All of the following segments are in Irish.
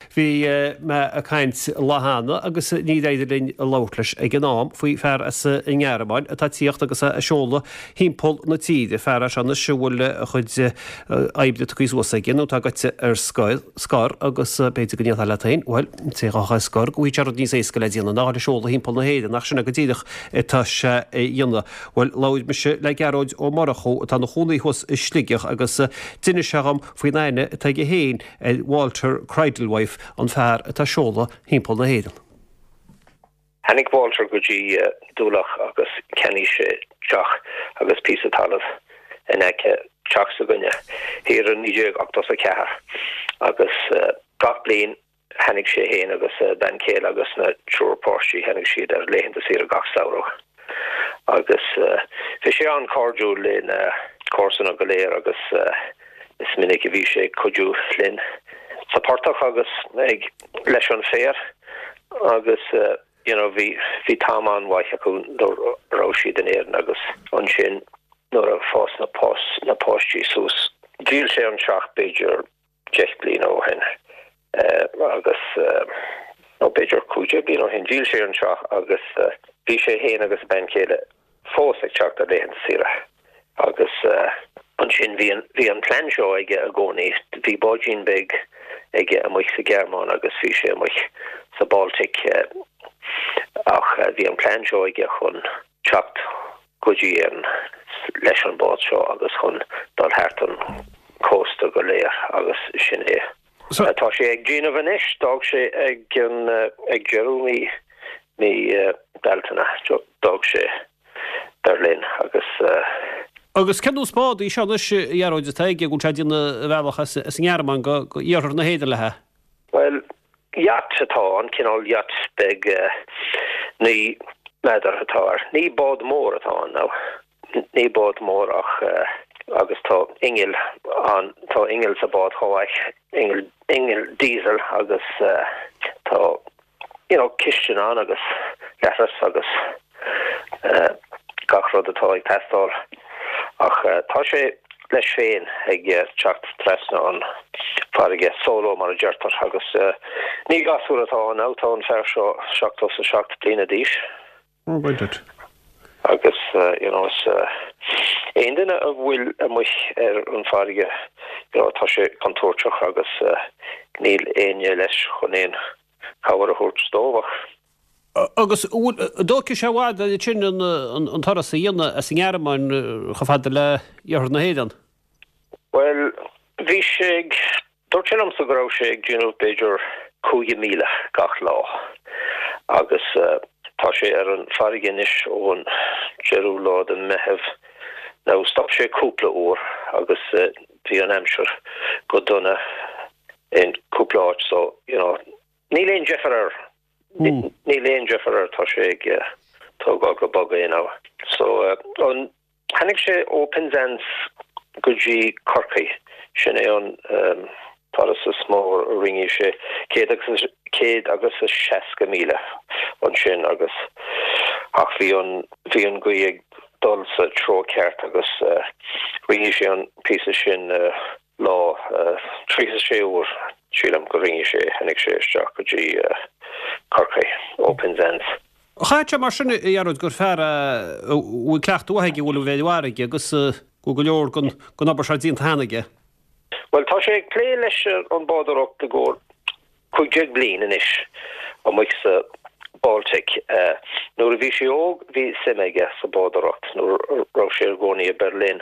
Bhí mé ag caint lá cheana agus níor éirigh linn labhairt leis ag an am faoi fear as an nGearmáin atá ag tíocht agus é ag seoladh thimpeall na tíre, fear é seo anois a bhfuil a chuid oibre tugtha suas aige nó atá gaibhte ar scor agus b'fhéidir go ndéarfá leat féin, bhuel, an té atá ar scor go bhfaighidh sé rud níos éasca le déanamh ná a dhul ag seoladh thimpeall na hÉireann ach sin é go díreach atá sé a dhéanamh. Bhuel, labhair mise le Gearóid Ó Murchú atá ina chónaí thuas i Sligeach agus d'inis sé dhom faoin aithne atá aige féin ar Walter Cradlewife, an fear atá ag seoladh thimpeall na hÉireann. Tháinig Walter go dtí Dúlach agus cheannaigh sé teach agus píosa talaimh in aice teach s'againne thiar i 1984 agus gach bliain Tháinig sé fhéin agus a bean chéile agus na triúr páistí, tháinig siad ar laethanta saoire gach samhradh agus bhí sé an-chairdiúil le na comharsana go léir agus is minic a bhí sé ag cuidiú linn sa portach agus ag leis an féar agus you know bhí bhí t-am an-mhaith acu nuair a raibh siad in Éirinn agus ansin nuair a fás na na páistí suas dhíol sé an teach b'fhéidir 10 bliana ó shin agus, nó b'fhéidir 15 bliain ó shin, dhíol sé an teach agus bhí sé fhéin agus a bean chéile fós ag teacht ar laethanta saoire agus ansin bhí an, bhí an plean seo aige i gcónaí, bhí báidín beag aige amuigh sa Ghearmáin agus bhí sé amuigh sa Baltic ach bhí an plean seo aige chun teacht go dtí Éirinn leis an bád seo agus chun dul thart an cósta go léir agus sin é atá sé ag déanamh anois. D'fhág sé ag an ag deireadh mí mí Bealtaine, d'fhág sé Berlin agus. Agus cén nós bád í seo anois, a Ghearóid, atá aige, go bhfuil sé ag déanamh a bhealach as an nGearmáin go iarthar na hÉireann léi? Bhuel, yacht atá ann, cineál yacht beag 9 méadar atá air. Ní bád mór atá ann now. Ní bád mór ach agus tá inneall ann, tá inneall sa bád chomh maith, inneall, inneall diesel agus tá you know cistin ann agus leithreas agus gach rud atá ag teastáil. Ach tá sé leis féin ag teacht trasna an farraige, solo mar a deirtear, agus ní gasúr atá ann now, tá an fear seo 77 bliana d'aois. Oh, right duit. Agus you know is aon duine a bhfuil amuigh ar an farraige, you know, tá sé contúirteach agus níl éinne leis chun aon chabhair a thabhairt dóibh ach. Agus an dtógfaidh sé i bhfad ansin an turas a dhéanamh as an nGearmáin chomh fada le iarthar na hÉireann? Bhuel, bhí sé ag, dúirt sé liomsa go raibh sé ag déanamh b'fhéidir 5,000 gach lá agus tá sé ar an farraige anois ón deireadh lá de Meitheamh. Now stop sé cúpla uair agus bhí an aimsir go dona in cúpla áit so, you know, níl aon deifir air. Níl aon deifir air, tá sé ag tógáil go bog é now. So, an, tháinig sé ó Penzance go dtí Corcaigh, sin é an turas is mó a rinne sé, 160,000 ansin agus, ach bhí an, bhí an ghaoth ag dul sa treo ceart agus rinne sé an píosa sin lá, 36 uair, sílim, go rinne sé, tháinig sé isteach go dtí Corcaigh ó Penzance. Chaithfeadh sé mar sin, a Ghearóid, gur fear é a bhfuil cleachtadh mhaith aige a bhfuil a bheith ar an bhfarraige agus go bhfuil go leor den obair seo déanta cheana aige. Bhuel, tá sé ag plé leis an bádóireacht i gcomhair 15 bliain anois amuigh sa Baltic. Nuair a bhí sé óg bhí suim aige sa bádóireacht nuair a raibh sé i gcónaí i Berlin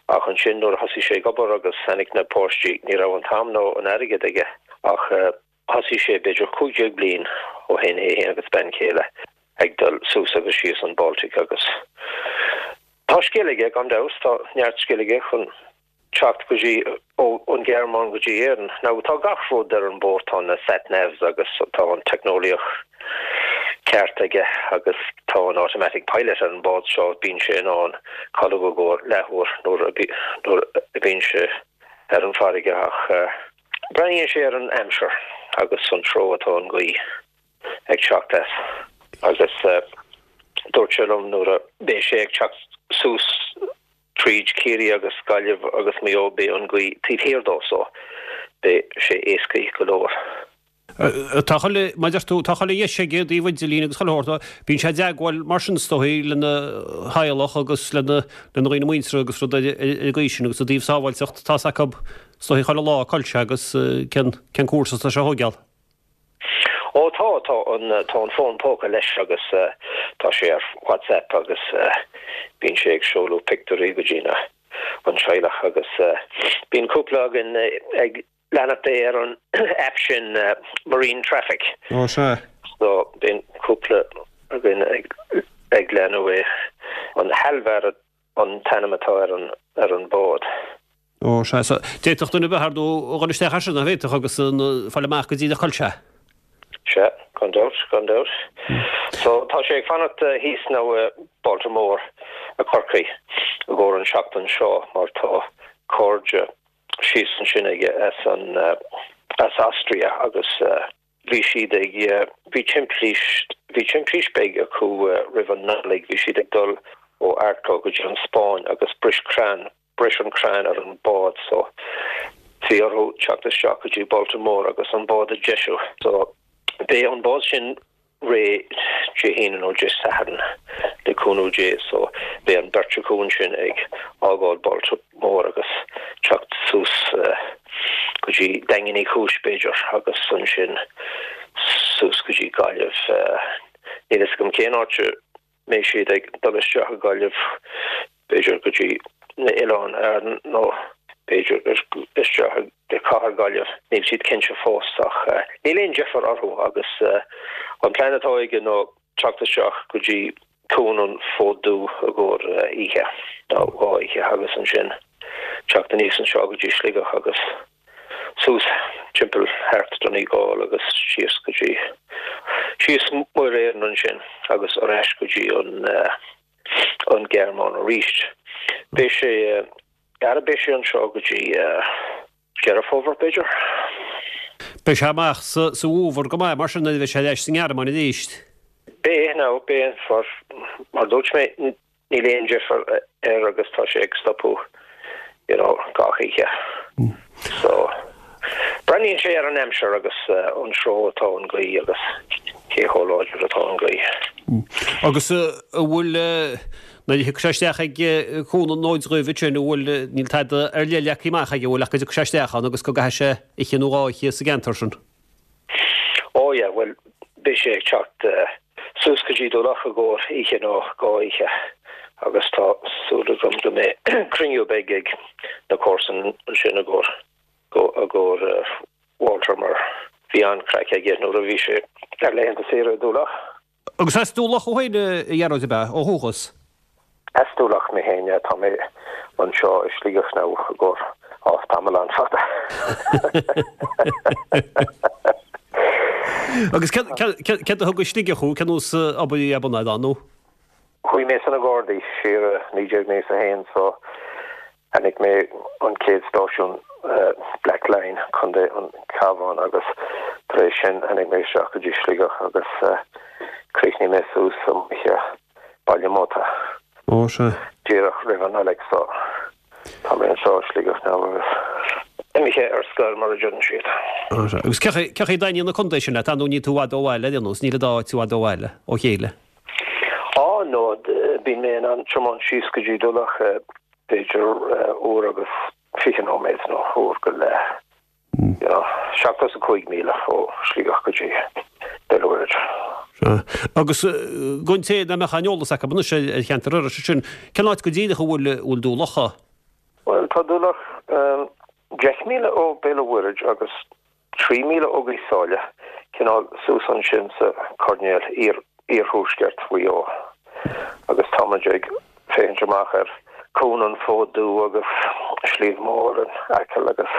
ach ansin nuair a thosaigh sé ag obair agus tháinig na páistí ní raibh an t-am nó an airgead aige ach thosaigh sé b'fhéidir 15 bliain ó shin é féin agus bean chéile ag dul suas agus síos an Baltic agus tá scil aige gan dabht tá neart scil aige chun teacht go dtí, ón Ghearmáin go dtí Éirinn. Now tá gach rud ar an bord, tá na sat navs agus tá an teicneolaíocht ceart aige agus tá an automatic pilot ar an bád seo, bíonn sé in ann codladh i gcomhair leathuair nuair a nuair a bhíonn sé ar an bhfarraige ach breathnaíonn sé ar an aimsir agus an treo atá an ghaoth ag teacht as agus dúirt sé liom nuair a bheidh sé ag teacht suas tríd Ciarraí agus Gaillimh agus Maigh Eo beidh an ghaoth taobh thiar dó so beidh sé éascaí go leor. Tá chuile, mar a deir tú, tá chuile dheis aige i dtaobh idirlín agus chuile shórt. Bíonn sé i dteagmháil mar sin is dóigh lena theaghlach agus lena dhaoine muinteartha agus rud ar an gcaoi sin agus i dtaobh sábháilteacht tá's acu is dóigh chuile lá cá bhfuil sé agus cén cén cúrsa atá sé a thóigeáil. Ó tá, tá an tá an fón póca leis agus tá sé ar WhatsApp agus bíonn sé ag seoladh pictiúirí go dtí na an teaghlach agus bíonn cúpla againn ag leanacht é ar an app sin Marine Traffic. Ó sea. So bíonn cúpla againn ag ag leanadh é. An Halvar an t-ainm atá ar an ar an bád. Ó sea. So d'fhéadfadh duine ar bith ar ndóigh a dhul isteach air sin, nach bhféadfadh, agus fáil amach go díreach cá bhfuil sé. Sea, gan dabht, gan dabht. So tá sé ag fanacht thíos now i Baltimore i Corcaigh i gcomhair an seachtain seo mar tá cairde síos ansin aige as an as Austria agus bhí siad ag bhí timpiste bhí timpiste beag acu roimh an Nollaig bhí siad ag dul ó Arklow go dtí an Spáinn agus bris crann bris an crann ar an bád so bhí orthu teacht isteach go dtí Baltimore agus an bád a deisiú so beidh an bád sin réidh Dé hAoine nó Dé Sathairn le cúnamh Dé so beidh an beirt acu ansin ag fhágáil Baltimore agus teacht suas go dtí Daingean Uí Chúis b'fhéidir agus ansin suas go dtí Gaillimh. Níl fhios agam cén áit a mbeidh siad ag dul isteach i Gaillimh, b'fhéidir go dtí na Oileáin Árann nó b'fhéidir isteach i gcathair Gaillimh, níl siad cinnte fós ach níl aon deifir orthu agus an plean atá aige ná teacht isteach go dtí Cuan an Fóid Dubh i gcomhair oíche nó dhá oíche agus ansin teacht aníos anseo go dtí Sligeach agus suas timpeall thart Donegal agus síos go dtí síos Muir Éireann ansin agus ar ais go dtí an an Ghearmáin arís. Beidh sé ara beidh sé anseo go dtí Deireadh Fómhair b'fhéidir. Beidh sé amach sa sa bhfómhar go maith mar sin nuair a bheidh sé ar ais sa nGearmáin arís. Beidh, now, beidh, mar dúirt mé Níl aon deifir air agus tá sé ag stopadh you know gach oíche. So breathnaíonn sé ar an aimsir agus an treo atá an ghaoth agus cé chomh láidir atá an ghaoth. Agus an bhfuil, nuair a thiocfaidh sé isteach ag Cuan an Fhóid Dhuibh ansin, an bhfuil, níl tada ar leith leagtha amach aige, an bhfuil ach go dtiocfaidh sé isteach ann agus go gcaithfidh sé oíche nó dhá oíche sa gceantar sin? Oh yeah, bhuel beidh sé ag teacht suas go dtí Dún Locha i gcomhair oíche nó dhá oíche agus tá súil agam go mbeidh cruinniú beag ag na comharsain ansin i gcomhair i gcomhair Walter mar bhí an-chraic aige nuair a bhí sé ar laethanta saoire i Dún Locha. Agus as Dún Locha thú féin, a Ghearóid, ab ea, ó dhúchas? As Dún Locha mé féin, yeah. Tá mé anseo i Sligeach now i gcomhair, á, tamall an-fhada. Agus céard a thug go Sligeach thú, cén nós obair a bhí ar bun agat ann, nó? Chuaigh mé sna Gardaí siar i 1991 so Tháinig mé an chéad stáisiún Blacklion, Contae an Chabháin agus tar éis sin tháinig mé isteach go dtí Sligeach agus chríochnaigh mé suas amuigh i Baile Motta Ó, sea. díreach roimh an Nollaig so tá mé anseo i Sligeach now agus imithe ar scor mar a deireann siad. Ó, sea. Agus cé chaoi dtaitníonn an contae sin leat? Ar ndóigh níl tú i bhfad ó bhaile ar aon nós, níl an dá áit i bhfad ó bhaile, ó chéile. Á, no, bíonn mé in ann tiomáint síos go dtí Dún Locha b'fhéidir uair agus 20 nóiméad nó uair go leith, you know, 75 míle ó Shligeach go dtí Béal an Mhuirthead. Sea. Agus don té nach mbeadh aon eolas acu anois ar cheantar Iorrais ansin, cén áit go díreach a bhfuil, bhfuil Dún Locha? Bhuel, tá Dún Locha 10 míle ó Béal an Mhuirthead agus 3 míle ó Ghaoth Sáile, cineál suas ansin sa choirnéal iarthuaisceart Mhaigh Eo agus tá muid ag féachaint amach ar Cuan an Fóid Dubh agus Sliabh Mór in Acaill agus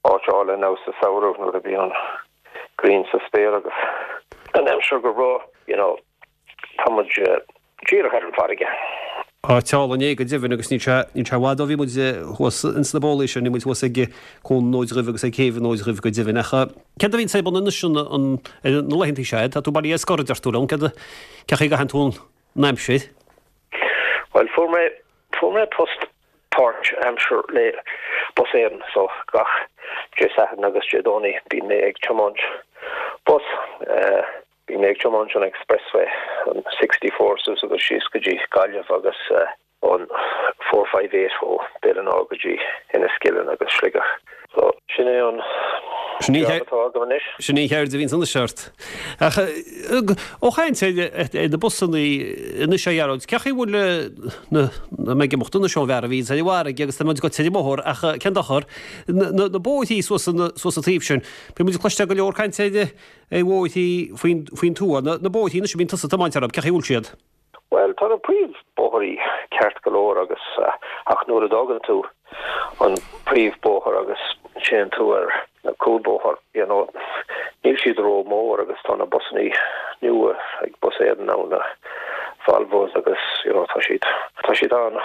áit álainn now sa samhradh nuair a bhíonn an ghrian sa spéir agus an aimsir go breá, you know. Tá muid díreach ar an bhfarraige. Áit álainn é go deimhin agus níl sé, níl sé i bhfad ó bhí muid thuas ins na bólaí sin, bhí muid thuas ag Cuan an Fhóid Dhuibh agus ag Céibh an Fhóid Dhuibh go deimhin. Ach céard a bhíonn ar bun anois an, an, ar na laethantaí seo? Tá tú bailithe ar scor a deir tú liom, céard a, cén chaoi a gcaitheann tú an aimsir? Bhuel, fuair mé, fuair mé post páirt aimsir le Bus Éireann so gach Dé Sathairn agus Dé Domhnaigh bíonn mé ag tiomáint. Bhí mé ag tiomáint an Expressway, an 64 suas agus síos go dtí Gaillimh agus an 458 ó Béal an Átha go dtí Enniskillen agus Sligeach. So, sin é an job atá agam anois. Sin í an cheird a bhíonns anois ort. Ach ó chaint ar na busannaí anois a Ghearóid, cén chaoi a bhfuil na, mé ag imeacht anois ón bhfear a bhíonns ar an bhfarraige agus tá muid ag goil ar an mbóthar ach cén dochar, na bóithrí suas an taobh sin, bíonn muid ag cloisteáil go leor cainte ar ar bhóithrí faoin, faoin tuath, na, na bóithrí anois a bhíonn tusa ag tiomáint orthu, cén chaoi a bhfuil siad? Bhuel, tá na príomhbhóithrí ceart go leor agus, ach nuair a d'fhágann tú an príomhbhóthar agus téann tú ar na cúlbhóthar, you know, níl siad ró-mhór agus tá na busannaí nua ag Bus Éireann ann, na Volvos agus, you know, tá siad, tá siad an,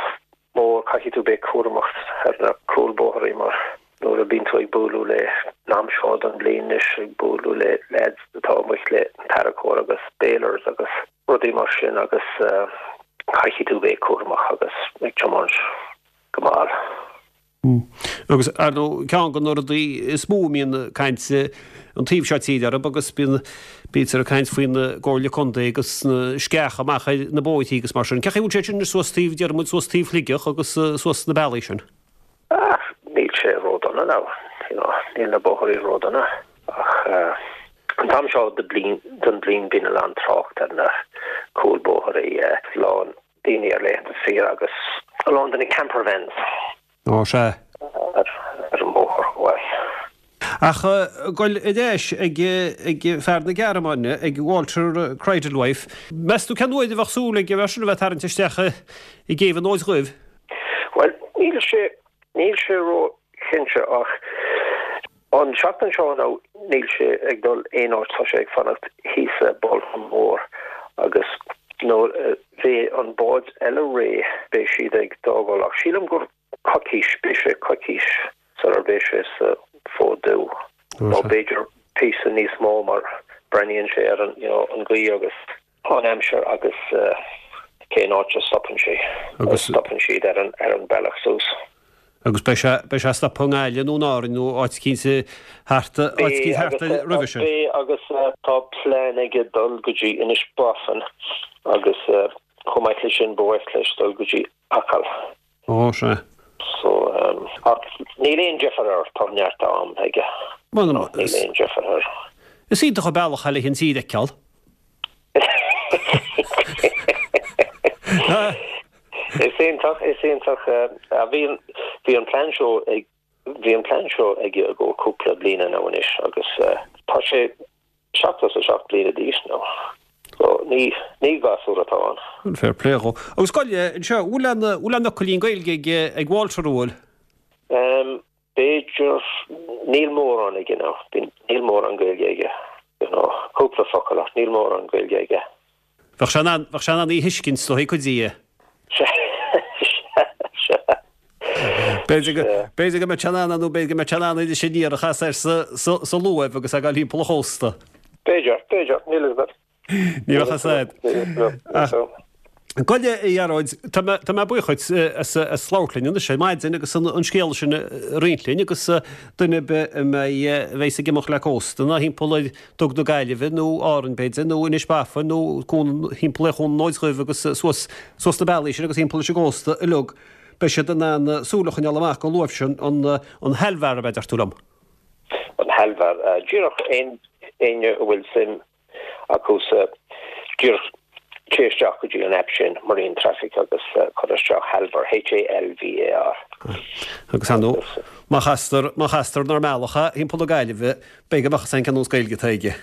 mór, caithfidh tú beith cúramach ar na cúlbhóithrí mar nuair a bíonn tú ag bualadh le, an am seo den bhliain anois, ag bualadh le leaids atá amuigh le an tarracóir agus balers agus rudaí mar sin agus caithfidh tú bheith cúramach agus ag tiomáint go mall. Agus, ar ndóigh, ceann de na rudaí is mó a mbíonn caint an taobh seo tíre orthu agus bíonn, bítear ag caint faoin gComhairle Contae agus na sceacha amach ar na bóithrí agus mar sin. Cén chaoi a bhfuil sé sin anois suas taobh, déarfaidh muid, suas taobh Shligeach agus suas na bealaí sin? Ah, níl sé ródhona now, you know, níl na bóithrí ródhona ach an t-am seo den bliain, den bhliain bíonn a lán trácht ar na cúlbhóithrí, a lán daoine ar laethanta saoire agus a lán de na campervans. Ó, sea. Ar an mbóthar chomh maith. Ach goil ar ais ag fear na Gearmáine, ag Walter Cridlewife. Meas tú cén uair a bheadh súil ag an bhfear sin a bheith ag tarraingt isteach i gcéibh an Fhóid Dhuibh? Bhuel, níl sé, níl sé ró-chinnte ach An tseachtain seo now níl sé ag dul aon áit, tá sé ag fanacht thíos i Baltimore agus nuair a bheidh an bád eile réidh beidh siad ag d'fhágáil ach sílim gur coicís, beidh sé coicís sular bheidh sé sa Fód Dubh nó b'fhéidir píosa níos mó mar breathnaíonn sé ar an you know an ghaoth agus an aimsir agus cén áit a stopann sé, agus stopann siad ar an ar an bealach suas. Agus beidh sé, beidh sé ag stopadh i nGaillimh nó in Árainn nó áit eicínt thart, áit eicínt thart roimhe sin. Beidh agus tá plean aige dul go dtí Inis Bofin agus chomh maith leis sin ba mhaith leis dul go dtí Acaill. Ó, sea. So, ach níl aon deifir air, tá neart am aige. Níl aon deifir air. Is iontach an bealach é le an tír a fheiceáil. Is iontach, is iontach. Bhí an, bhí an plean seo ag, bhí an plean seo aige i gcomhair cúpla bliana now anois agus tá sé 77 bliana d'aois now. So ní, ní gasúr atá ann. Bhuel, fair play dhó. Agus gabh i leith anseo, bhfuil aon, bhfuil aon fhocailín Gaeilge ag, ag Walter, an bhfuil? B'fhéidir, níl mórán aige now, níl mórán Gaeilge aige, you know, cúpla focal ach níl mórán Gaeilge aige. Bheadh sé in ann, bheadh sé in ann í a thuiscint is dóigh cuid di. Sea, sea, sea. B'fhéidir go, b'fhéidir go mbeadh sé in ann nó b'fhéidir go mbeadh sé in ann Inis Aniar a chasadh air sa, sa, sa luaimh agus é ag dul thimpeall an chósta. B'fhéidir, b'fhéidir, níl fhios agat. Ní bheadh fhios a'd. Ach gabh i leith, a Ghearóid, tá mé, tá mé buíoch dhuit as, as labhairt linn anois ar maidin agus an, an scéal sin a roinnt linn agus duine ar bith a mbeidh, a bheidhs ag imeacht le cósta ná thimpeall ar Dug na Gaillimhe nó Árainn b'fhéidir nó Inis Bofin nó cuan, thimpeall ar Chuan an Fhóid Dhuibh agus suas, suas na bealaí sin agus thimpeall leis an gcósta uilig, beidh siad in ann súil a choinneáil amach don luaimh sin, an, an Halvar ab ea, deir tú liom? An Halvar. Díreach aon éinne a bhfuil suim acu sa díreach téigh isteach go dtí an aip sin, Marine Traffic, agus cuir isteach Halvar, H-A-L-V-A-R. Agus ar ndóigh, má chastar, má chastar inár mbealach é thimpeall na Gaillimhe, b'fhéidir go mbeadh fhios a'inn cén nós Gaeilge atá aige.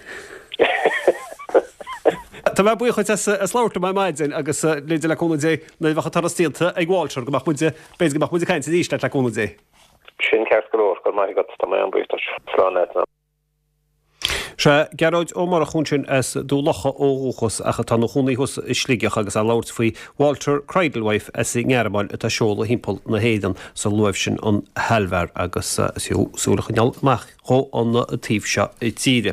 Tá mé buíoch dhuit as, as labhairt liom ar maidin agus b'fhéidir le cúnamh Dé, nuair a bheadh an turas déanta ag Walter, go mbeadh muid, b'fhéidir go mbeadh muid ag caint arís leat le cúnamh Dé. Sin ceart go leor, go raibh maith agat, tá mé an-bhuíoch duit. Slán leat now. Sea, Gearóid Ó Murchú ansin as Dún Locha ó dhúchas ach atá ina chónaí thuas i Sligeach agus é ag labhairt faoi Walter Cridlewife as an nGearmáin atá ag seoladh thimpeall na hÉireann sa luaimh sin an Halvar agus is fiú súil a choinneáil amach dhó an taobh seo tíre.